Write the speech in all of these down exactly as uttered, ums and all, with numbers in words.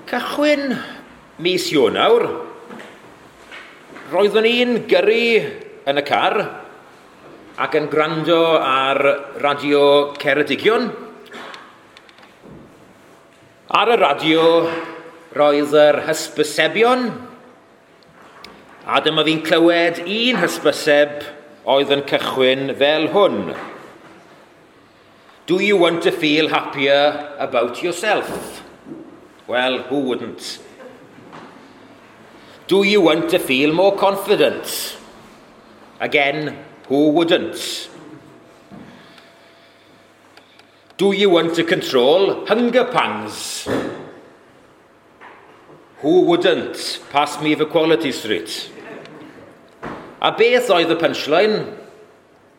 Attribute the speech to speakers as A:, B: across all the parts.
A: Cychwyn mis Ionawr, roeddwn i'n gyrru yn y car ac yn gwrando ar Radio Ceredigion. Ar y radio roedd yr hysbysebion, a dyma fi'n clywed un hysbyseb oedd yn cychwyn fel hwn. Do you want to feel happier about yourself? Well, who wouldn't? Do you want to feel more confident? Again, who wouldn't? Do you want to control hunger pangs? Who wouldn't? Pass me the Quality Street. A beth oedd y punchline?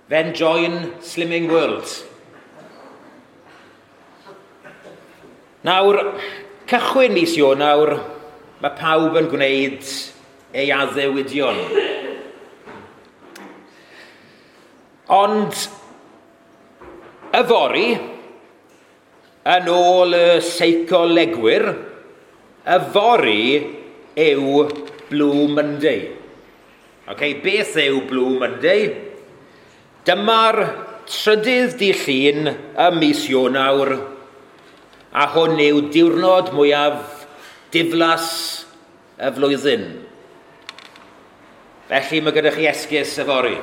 A: Then join Slimming World. Nawr, cychwyn mis Ionawr, mae pawb yn gwneud ei addewidion. Ond yfory, yn ôl y seicolegwyr, yfory yw Blue Monday. Okay, beth yw Blue Monday? Dyma'r trydydd dydd Llun ym mis Ionawr, a hwn yw diwrnod mwyaf diflas y flwyddyn. Felly mae gyda chi esgus yfory.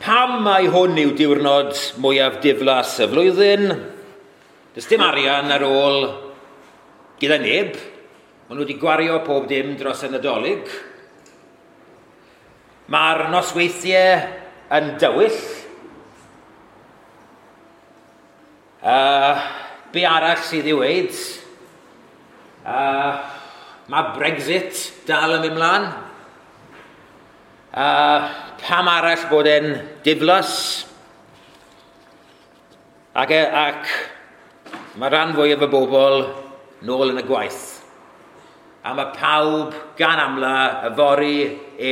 A: Pam mai hwn yw diwrnod mwyaf diflas y flwyddyn? Does dim arian ar ôl gyda neb. Maen nhw wedi gwario pob dim dros y Nadolig. Mae'r nosweithiau yn dywyll. Uh, be arall sydd i'w weud? Uh, mae Brexit dal yn mynd mlaen. Uh, pam arall bod e'n diflas? Ac, ac mae rhan fwyaf y bobl nôl yn y gwaith. A mae pawb gan amla yfory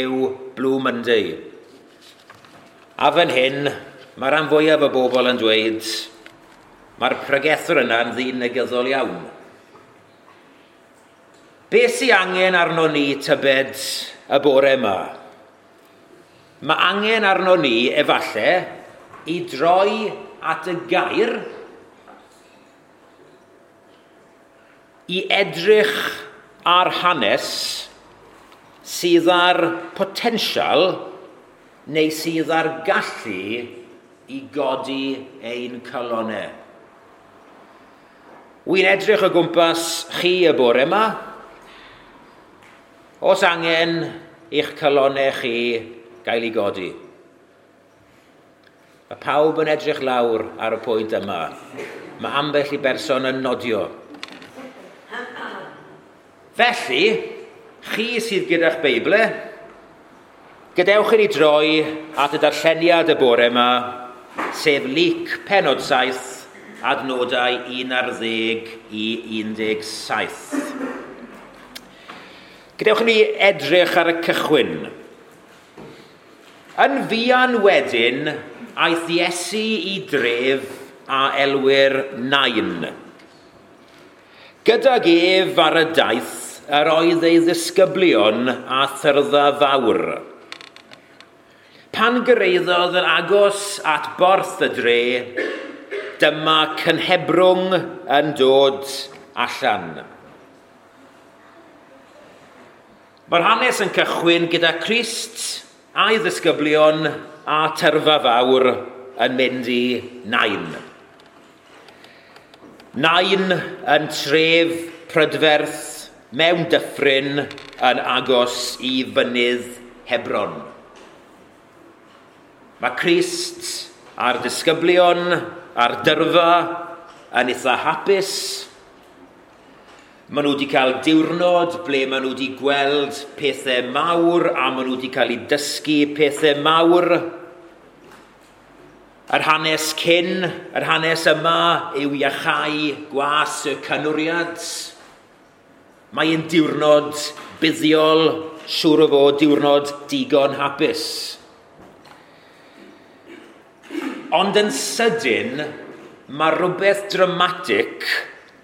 A: yw Blue Monday. A fan hyn, mae rhan fwyaf y bobl yn dweud mae'r pregethwr yna'n ddyn negyddol iawn. Be sy angen arno ni tybed y bore yma? Mae angen arno ni, efallai, i droi at y gair, i edrych ar hanes sydd â'r potensial neu sydd â'r gallu i godi ein calonnau. Wy'n edrych o gwmpas chi y bore yma. Os angen i'ch calonnau chi gael ei godi. Mae pawb yn edrych lawr ar y pwynt yma. Mae ambell i berson yn nodio. Felly, chi sydd gyda'ch Beibl, gadewch i ni droi at y darlleniad y bore yma, sef Luc pennod saith, adnodau un ar ddeg i un deg saith. Gadewch i ni edrych ar y cychwyn. Yn fuan wedyn, aeth Iesu i dref a elwir Nain. Gydag ef ar y daith, yr oedd ei ddisgyblion a thyrfa fawr. Pan gyrhaeddodd yn agos at borth y dre, dyma cynhebrwng yn dod allan. Mae'r hanes yn cychwyn gyda Crist a'i ddisgyblion a tyrfa fawr yn mynd i Nain. Nain yn tref prydferth mewn dyffryn yn agos i fynydd Hebron. Mae Crist a'r disgyblion a'r dyrfa yn eitha hapus. Maen nhw wedi cael diwrnod ble maen nhw wedi gweld pethau mawr a maen nhw wedi cael eu dysgu pethau mawr. Yr hanes cyn, yr hanes yma yw iachau gwas y canwriad. Mae'n diwrnod buddiol, siŵr o fod diwrnod digon hapus. Ond yn sydyn, mae rhywbeth dramatic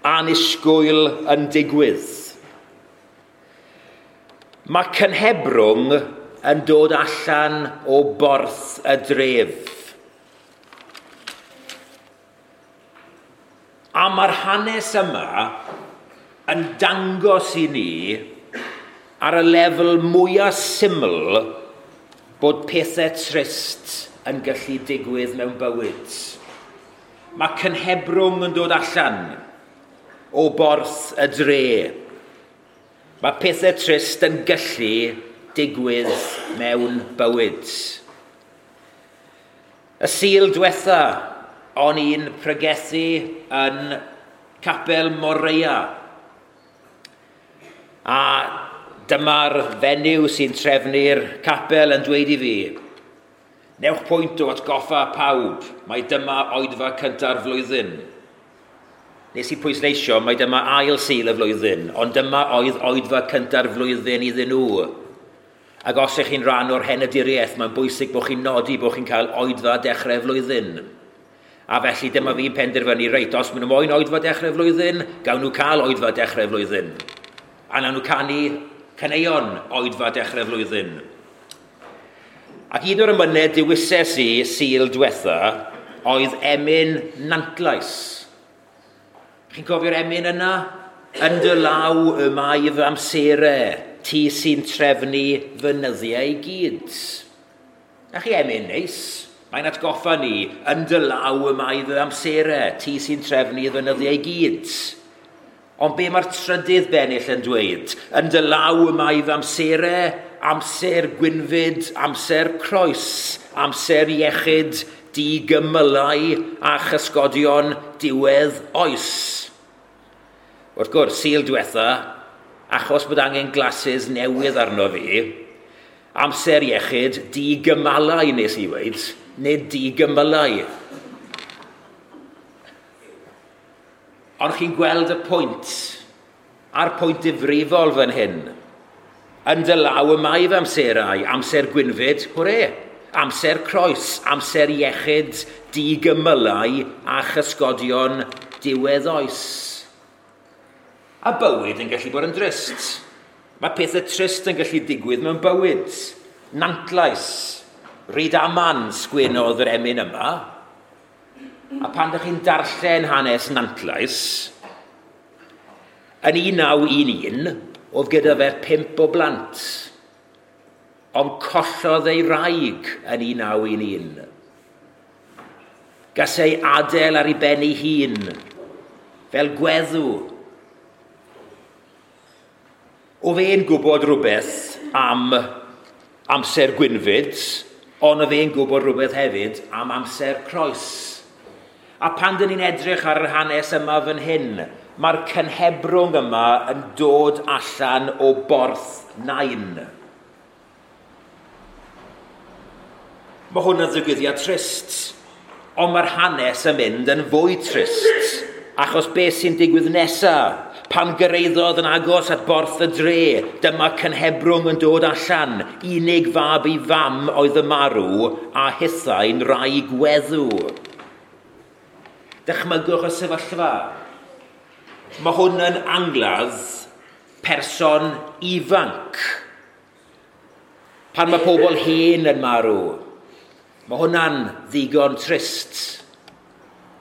A: Annisgwyl yn digwydd. Mae cynhebrwng yn dod allan o borth y dref. A mae'r hanes yma yn dangos i ni ar y lefel mwyaf syml bod pethau trist yn gallu digwydd mewn bywyd. Mae cynhebrwng yn dod allan o borth y dre. Mae pethau trist yn gallu digwydd mewn bywyd. Y Sul diwetha, o'n i'n pregethu yn Capel Moreia. A dyma'r fenyw sy'n trefnu'r capel yn dweud i fi, newch pwynt o atgoffa pawb, mai dyma oedfa cynta'r flwyddyn. Nes i pwysleisio, mai dyma ail Sul y flwyddyn, ond dyma oedd oedfa cynta'r flwyddyn iddyn nhw. Ac os ych chi'n rhan o'r henaduriaeth, mae'n bwysig bod chi'n nodi bod chi'n cael oedfa dechrau flwyddyn. A felly dyma fi'n penderfynu, reit, os maen nhw moyn oedfa dechrau flwyddyn, gawn nhw cael oedfa dechrau flwyddyn. A nawn nhw canu caneuon oedfa dechrau flwyddyn. Ac un o'r emynau dewises i Sul diwetha oedd emyn Nantlais. Chi'n cofio'r emyn yna? Yn dy law y mae fy amserau, ti sy'n trefnu fy nyddiau i gyd. Na chi emyn neis? Mae'n atgoffa ni, yn dy law y mae fy amserau, ti sy'n trefnu fy nyddiau i gyd. Ond be mae'r trydydd bennill yn dweud? Yn dy law y mae fy amserau, amser gwynfyd, amser croes, amser iechyd, digymylau a chysgodion diwedd oes. Wrth gwrs, Sul diwetha, achos bod angen glasses newydd arno fi, amser iechyd, digymalau nes i weid, neu digymylau. Ond chi'n gweld y pwynt, a'r pwynt difrifol fan hyn. Yn dy law y mae fy amserau, amser gwynfyd, hwre, amser croes, amser iechyd, digymylau a chysgodion diwedd oes. A bywyd yn gallu bod yn drist. Mae pethau trist yn gallu digwydd mewn bywyd. Nantlais, Rydaman sgwenodd yr emyn yma. A pan ydych chi'n darllen hanes Nantlais, yn un naw un un, oedd gyda fe pump o blant, ond collodd ei wraig yn un naw un un. Gas ei adael ar ei ben ei hun, fel gweddw. Oedd e'n gwybod rhywbeth am amser gwynfyd, ond oedd e'n gwybod rhywbeth hefyd am amser croes. A pan dyn ni'n edrych ar yr hanes yma fan hyn, mae'r cynhebrwng yma yn dod allan o borth Nain. Mae hwn yn ddigwyddiad trist, ond mae'r hanes yn mynd yn fwy trist, achos beth sy'n digwydd nesaf? Pan gyrhaeddodd yn agos at borth y dre, dyma cynhebrwng yn dod allan, unig fab ei fam oedd y marw, a hithau'n wraig weddw. Dychmygwch y sefyllfa. Mae hwn yn angladd person ifanc. Pan mae pobl hen yn marw, mae hwnna'n ddigon trist.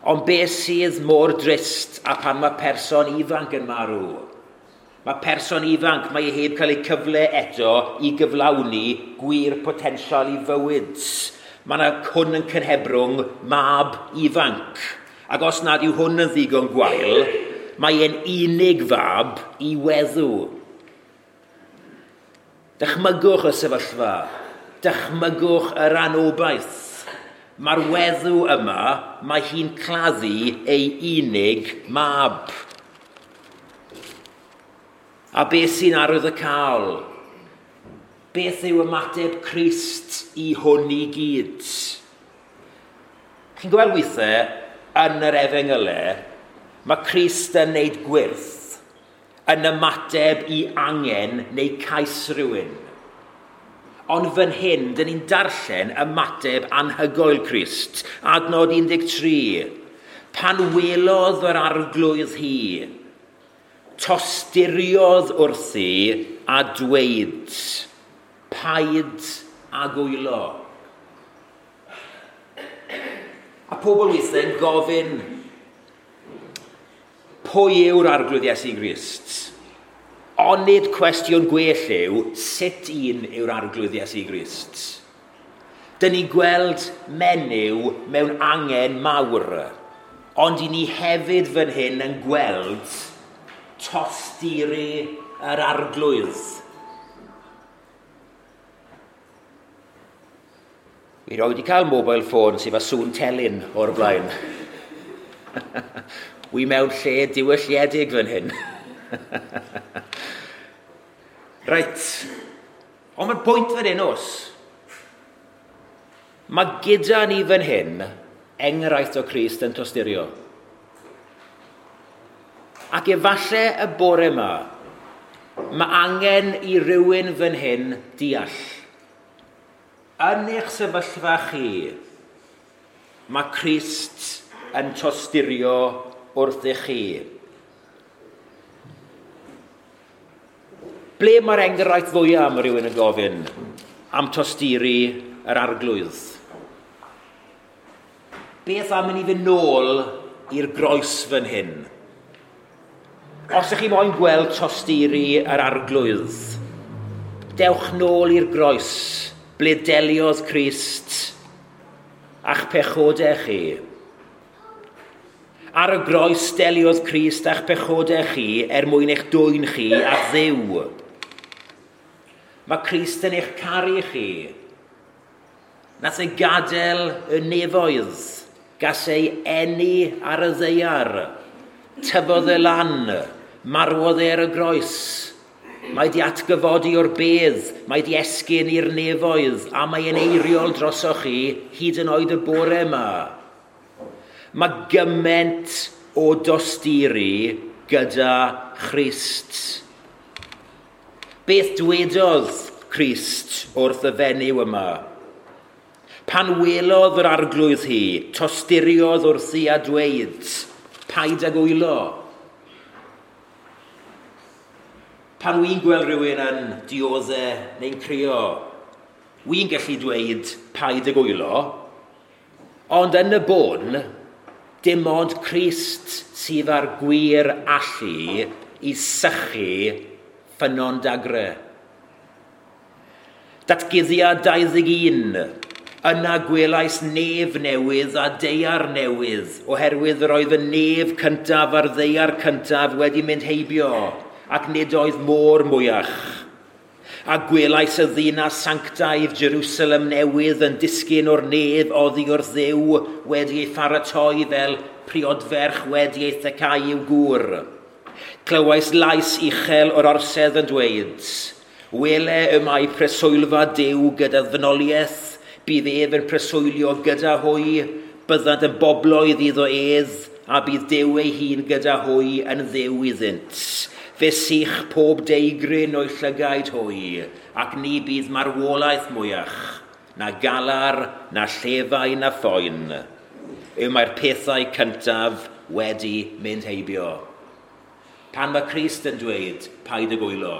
A: Ond beth sydd mor drist a pan mae person ifanc yn marw? Mae person ifanc, mae e heb cael ei cyfle eto i gyflawni gwir potensial i fywyd. Mae yna hwn yn cynhebrwng mab ifanc. Ac os nad yw hwn yn ddigon gwael, mae e'n unig fab i weddw. Dychmygwch y sefyllfa. Dychmygwch yr anobaith. Mae'r weddw yma, mae hi'n claddu ei unig mab. A beth sy'n arwyddocaol? Beth yw ymateb Crist i hwn i gyd? Chi'n gweld weithiau, yn yr efengylau, mae Crist yn neud gwyrth yn ymateb i angen neu cais rhywun. Ond fan hyn, dyn ni'n darllen ymateb anhygoel Crist. Adnod un deg tri. Pan welodd yr arglwydd hi, tosturiodd wrthi a dweud, paid ag wylo. A pobl weithiau'n gofyn, pwy yw'r arglwydd Iesu Grist? Onid cwestiwn gwell yw, sut un yw'r arglwydd Iesu Grist? Dyn ni'n gweld menyw mewn angen mawr, ond i ni hefyd fan hyn yn gweld tosturi yr arglwydd. Wi roed wedi cael mobile phone sydd â sŵn telyn o'r blaen. Wi mewn lle diwylliedig fan hyn. Reit, ond mae'r pwynt fan hyn os. Mae gyda ni fan hyn enghraifft o Crist yn tosturio. Ac efallai y bore yma, mae angen i rywun fan hyn deall. Yn eich sefyllfa chi, mae Crist yn tosturio wrthych chi. Ble mae'r enghraifft fwyaf, mae rhywun yn gofyn, am tosturi yr arglwydd? Beth am i ni fynd nôl i'r groes fan hyn? Os ydych chi moyn gweld tosturi yr arglwydd, dewch nôl i'r groes, ble deliodd Crist a'ch pechodau chi. Ar y groes deliodd Crist a'ch pechodau chi er mwyn eich dwyn chi at Dduw. Mae Crist yn eich caru chi. Nath ei gadael y nefoedd, gas ei eni ar y ddaear, tyfodd e lan, marwodd e ar y groes. Mae di atgyfodi o'r bedd, mae di esgyn i'r nefoedd, a mae e'n eiriol drosoch chi hyd yn oed y bore yma. Mae gymaint o dosturi gyda Christ. Beth dwedodd Crist wrth y fenyw yma? Pan welodd yr arglwydd hi, tosturiodd wrthi a dweud, paid ag wylo. Pan wy'n gweld rhywun yn dioddef neu'n crio, wy'n gallu dweud paid ag wylo, ond yn y bôn, dim ond Crist sydd â'r gwir allu i sychu ffynnon dagre. Datguddiad dau ddeg un, yna gwelais nef newydd a daear newydd, oherwydd yr oedd y nef cyntaf a'r ddaear cyntaf wedi mynd heibio, ac nid oedd môr mwyach. A gwelais y ddinas sanctaidd Jerusalem newydd yn disgyn o'r nef oddi wrth Dduw wedi ei pharatoi fel priodferch wedi ei thecau i'w gŵr. Clywais lais uchel o'r orsedd yn dweud, wele y mae preswylfa Duw gyda ddynoliaeth, bydd ef yn preswylio gyda hwy, byddant yn bobloedd iddo ef, a bydd Duw ei hun gyda hwy yn Dduw iddynt. Fe sych pob deigryn o'i llygaid hwy, ac ni bydd marwolaeth mwyach, na galar, na llefau, na phoen. Yw mae'r pethau cyntaf wedi mynd heibio. Pan mae Crist yn dweud, paid ag wylo.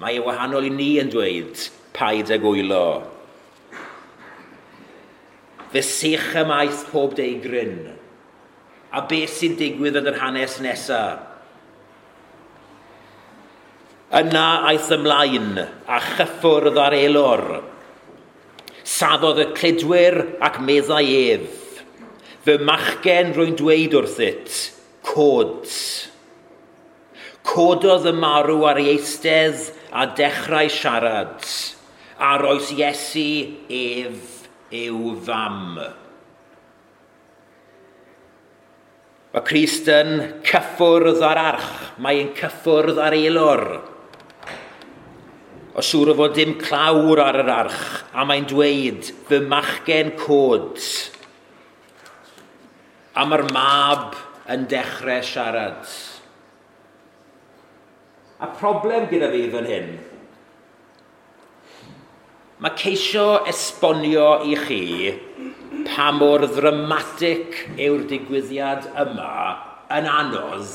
A: Mae e wahanol i ni yn dweud, paid ag wylo. Fe sych ymaith pob deigryn. A beth sy'n digwydd yn yr hanes nesaf? Yna aeth ymlaen a chyffwrdd ar elor. Safodd y cludwyr ac meddai ef. Fy machgen rwy'n dweud wrthyt, cod. Cododd y marw ar ei eistedd a dechrau siarad. A roes Iesu ef i'w fam. Mae Crist yn cyffwrdd ar arch, mae'n cyffwrdd ar elor. O siŵr o fod dim clawr ar yr arch, a mae'n dweud, fy machgen cod. A mae'r mab yn dechrau siarad. A problem gyda fi fan hyn, mae ceisio esbonio i chi pa mor ddramatig yw'r digwyddiad yma yn anodd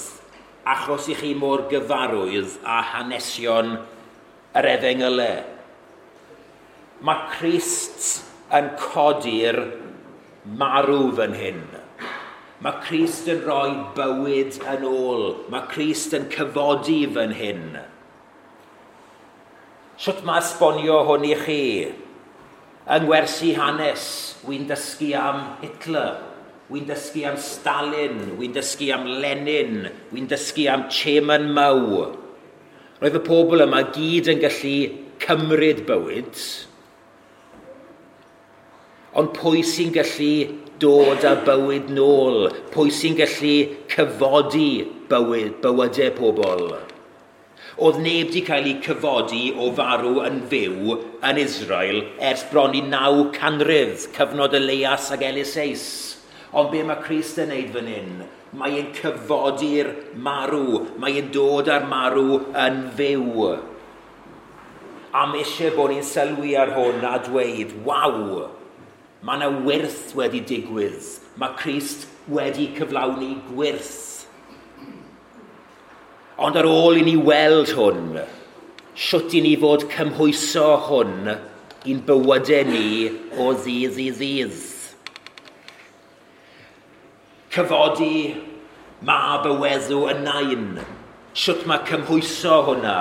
A: achos i chi mor gyfarwydd â hanesion yr efengylau. Mae Crist yn codi'r marw fan hyn. Mae Crist yn rhoi bywyd yn ôl. Mae Crist yn cyfodi fan hyn. Sut mae esbonio hwn i chi? Yng ngwersi hanes, wy'n dysgu am Hitler, wy'n dysgu am Stalin, wy'n dysgu am Lenin, wy'n dysgu am Chairman Mao. Roedd y pobl yma gyd yn gallu cymryd bywyd, ond pwy sy'n gallu dod â bywyd nôl? Pwy sy'n gallu cyfodi bywyd, bywydau pobl? Oedd neb wedi cael ei cyfodi o farw yn fyw yn Israel ers bron i naw canrif, cyfnod Elias ac Eliseus. Ond be mae Crist yn neud fan hyn? Mae e'n cyfodi'r marw. Mae e'n dod â'r marw yn fyw. A mae eisiau bod ni'n sylwi ar hwn a dweud, waw, mae yna wyrth wedi digwydd. Mae Crist wedi cyflawni gwyrth. Ond ar ôl i ni weld hwn, sut i ni fod cymhwyso hwn i'n bywydau ni o ddydd i ddydd. Cyfodi mab y weddw yn Nain. Sut mae cymhwyso hwnna?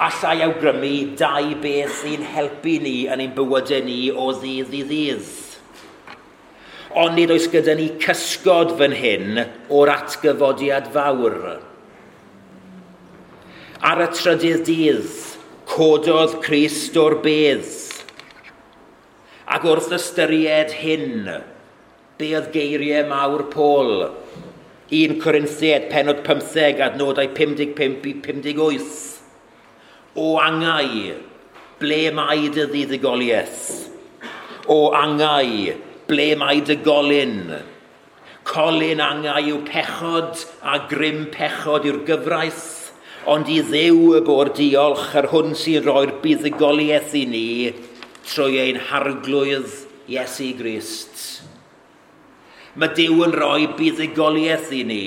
A: Allai awgrymu dau beth sy'n helpu ni yn ein bywydau ni o ddydd i ddydd. Ond nid oes gyda ni cysgod fan hyn o'r atgyfodiad fawr. Ar y trydydd dydd, cododd Crist o'r bedd. Ac wrth ystyried hyn, be oedd geiriau mawr Paul? un Corinthiaid, pennod pymtheg, adnodau pum deg pump i pum deg wyth. O angau, ble mae dy fuddugoliaeth? O angau, ble mae dy golyn? Colyn angau yw pechod a grym pechod yw'r gyfraith, ond i Dduw y bo'r diolch yr hwn sy'n rhoi'r buddugoliaeth i ni trwy ein harglwydd Iesu Grist. Mae Duw yn rhoi buddugoliaeth i ni.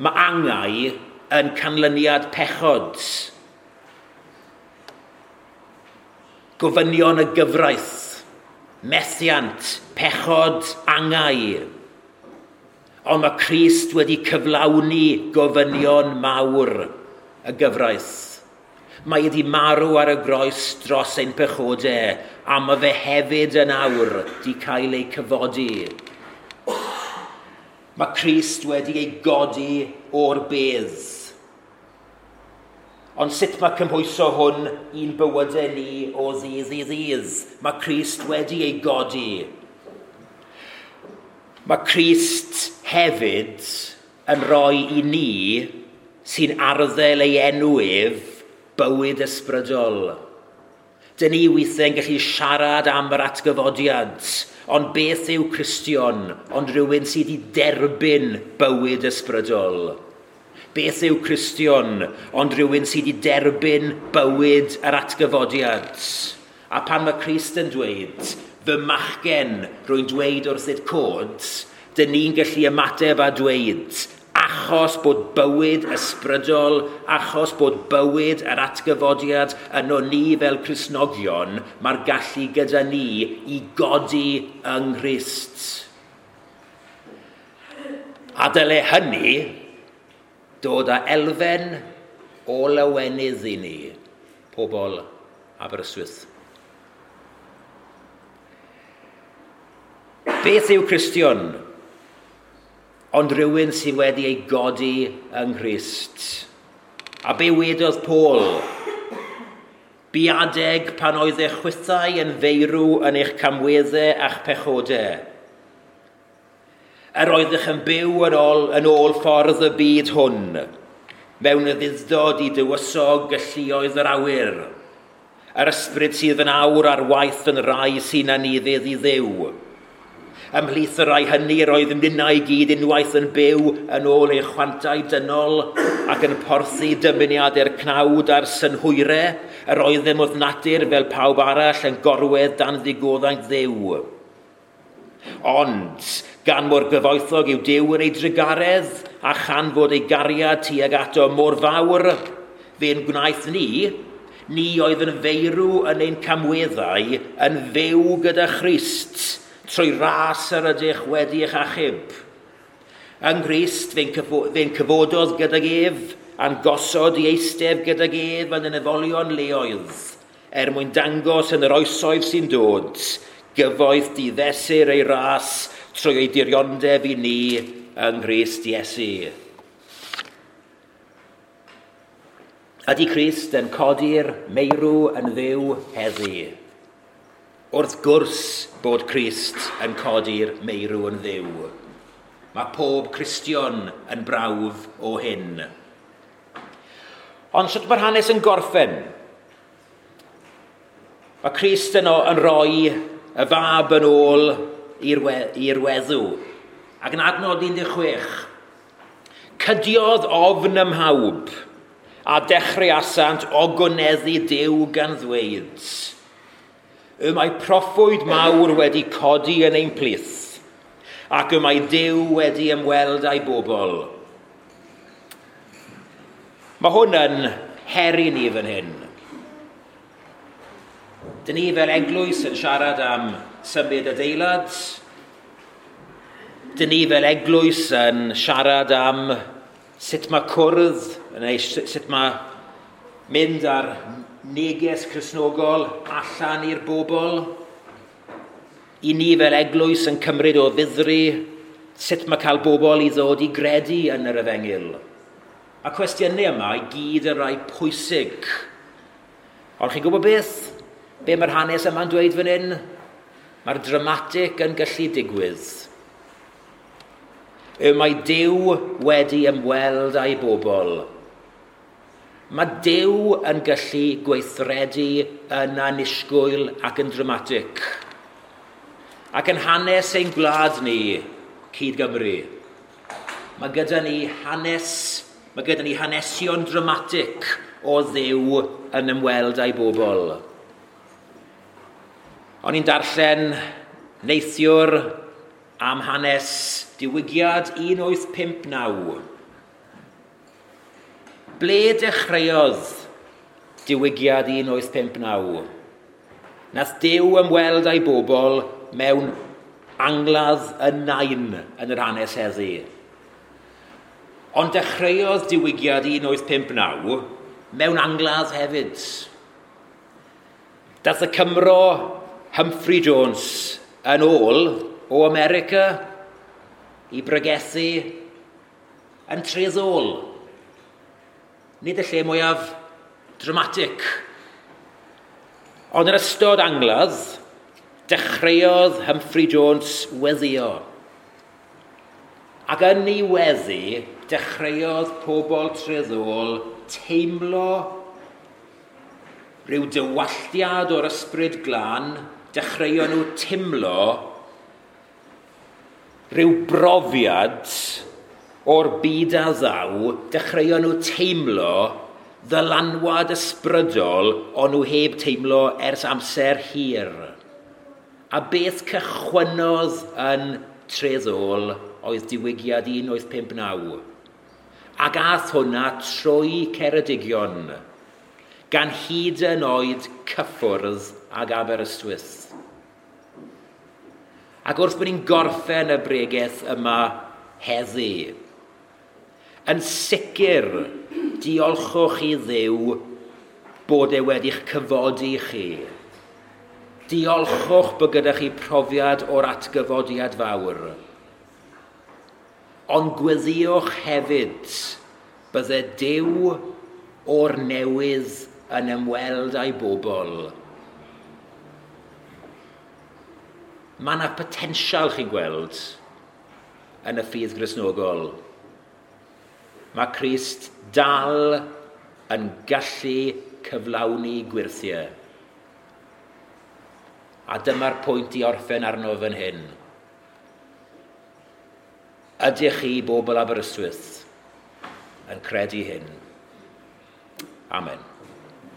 A: Mae angau yn canlyniad pechod. Gofynion y gyfraith, methiant, pechod, angau. Ond mae Crist wedi cyflawni gofynion mawr y gyfraith. Mae wedi marw ar y groes dros ein pechodau, a mae fe hefyd yn awr di cael ei cyfodi. Mae Crist wedi ei godi o'r bedd. Ond sut mae cymhwyso hwn i'n bywydau ni o ddydd i ddydd? Mae Crist wedi ei godi. Mae Crist hefyd yn rhoi i ni sy'n arddel ei enw ef bywyd ysbrydol. Dyn ni weithiau'n gallu siarad am yr atgyfodiad, ond beth yw Cristion ond rhywun sydd wedi derbyn bywyd ysbrydol? Beth yw Cristion ond rhywun sydd wedi derbyn bywyd yr atgyfodiad? A pan mae Crist yn dweud, fy machgen, rwy'n dweud wrth cod, dyn ni'n gallu ymateb a dweud, achos bod bywyd ysbrydol, achos bod bywyd yr atgyfodiad yno ni fel Cristnogion, mae'r gallu gyda ni i godi yng Nghrist. A dyle hynny dod â elfen o lawenydd i ni, pobl Aberystwyth. Beth yw Cristion? Ond rhywun sydd wedi ei godi yng Nghrist. A be wedodd Paul? Bu adeg pan oedd eich chwithau yn feirw yn eich camweddau a'ch pechodau. Yr oeddech yn byw yn ôl, yn ôl ffordd y byd hwn, mewn ufudd-dod i dywysog y lluoedd yr awyr. Yr ysbryd sydd yn awr ar waith yn rai sy'n anufudd i Dduw. Ymhlith y rhai hynny yr oedd ninnau i gyd unwaith yn byw yn ôl ein chwantau dynol ac yn porthi dymuniadau'r cnawd a'r synhwyrau, yr oeddem wrth natur fel pawb arall yn gorwedd dan ddigoddaint Dduw. Ond, gan mor gyfoethog yw Duw yn ei drugaredd a chan fod ei gariad tuag ato mor fawr, fe'n gwnaeth ni, ni oedd yn feirw yn ein camweddau, yn fyw gyda Christ, trwy ras yr ydych wedi eich achub. Yng Nghrist fe'n cyfododd gydag ef, a'n gosod i eistedd gydag ef yn y nefolion leoedd, er mwyn dangos yn yr oesoedd sy'n dod, gyfoeth diddesur ei ras trwy ei diriondeb i ni yng Nghrist Iesu. Ydy Crist yn codi'r meirw yn fyw heddi? Wrth gwrs bod Crist yn codi'r meirw yn fyw. Mae pob Cristion yn brawf o hyn. Ond sut mae'r hanes yn gorffen? Mae Crist yno yn rhoi y fab yn ôl i'r weddw. Ac yn adnod un deg chwech, cydiodd ofn ym mhawb a dechreuasant ogoneddu Duw gan ddweud, y mae proffwyd mawr wedi codi yn ein plith, ac y mae Duw wedi ymweld â'i bobl. Mae hwn yn her i ni fan hyn. Dyn ni fel eglwys yn siarad am symud adeilad. Dyn ni fel eglwys yn siarad am sut mae cwrdd, neu sut mae mynd ar neges Cristnogol allan i'r bobl. I ni fel eglwys yn cymryd o ddifri sut mae cael bobl i ddod i gredu yn yr efengyl. A cwestiynau yma i gyd yn rhai pwysig. Ond chi'n gwybod beth? Be mae'r hanes yma'n dweud fan hyn? Mae'r dramatig yn gallu digwydd. Y mae Duw wedi ymweld â'i bobl. Mae Duw yn gallu gweithredu yn annisgwyl ac yn dramatig. Ac yn hanes ein gwlad ni, cyd Gymru, mae gyda ni hanes, mae gyda ni hanesion dramatig o Dduw yn ymweld â'i bobl. O'n i'n darllen neithiwr am hanes diwygiad un wyth pump naw. Ble dechreuodd diwygiad un wyth pump naw? Nath Duw ymweld â'i bobl mewn angladd y nain yn yr hanes heddi. Ond dechreuodd diwygiad un wyth pump naw mewn angladd hefyd. Dath y Cymro Humphrey Jones yn ôl o America i bregethu yn Treddôl. Nid y lle mwyaf dramatig. Ond yn ystod angladd, dechreuodd Humphrey Jones weddio. Ac yn ei weddi, dechreuodd pobl Treddôl teimlo rhyw dywalltiad o'r ysbryd glân, dechreuon nhw teimlo rhyw brofiad o'r byd a ddaw, dechreuon nhw teimlo ddylanwad ysbrydol o'n nhw heb teimlo ers amser hir. A beth cychwynnodd yn Treddôl oedd diwygiad un wyth pump naw. Ac ath hwnna trwy Ceredigion, gan hyd yn oed cyffwrdd ag Aberystwyth. Ac wrth bod ni'n gorffen y bregeth yma heddi, yn sicr diolchwch i Dduw bod e wedi'ch cyfodi chi. Diolchwch bod gyda chi profiad o'r atgyfodiad fawr. Ond gweddiwch hefyd bydde Duw o'r newydd yn ymweld â'i bobl. Mae yna potensial chi'n gweld yn y ffydd Gristnogol. Mae Crist dal yn gallu cyflawni gwirthiau. A dyma'r pwynt i orffen arno fan hyn. Ydych chi, bobl Aberystwyth, yn credu hyn? Amen.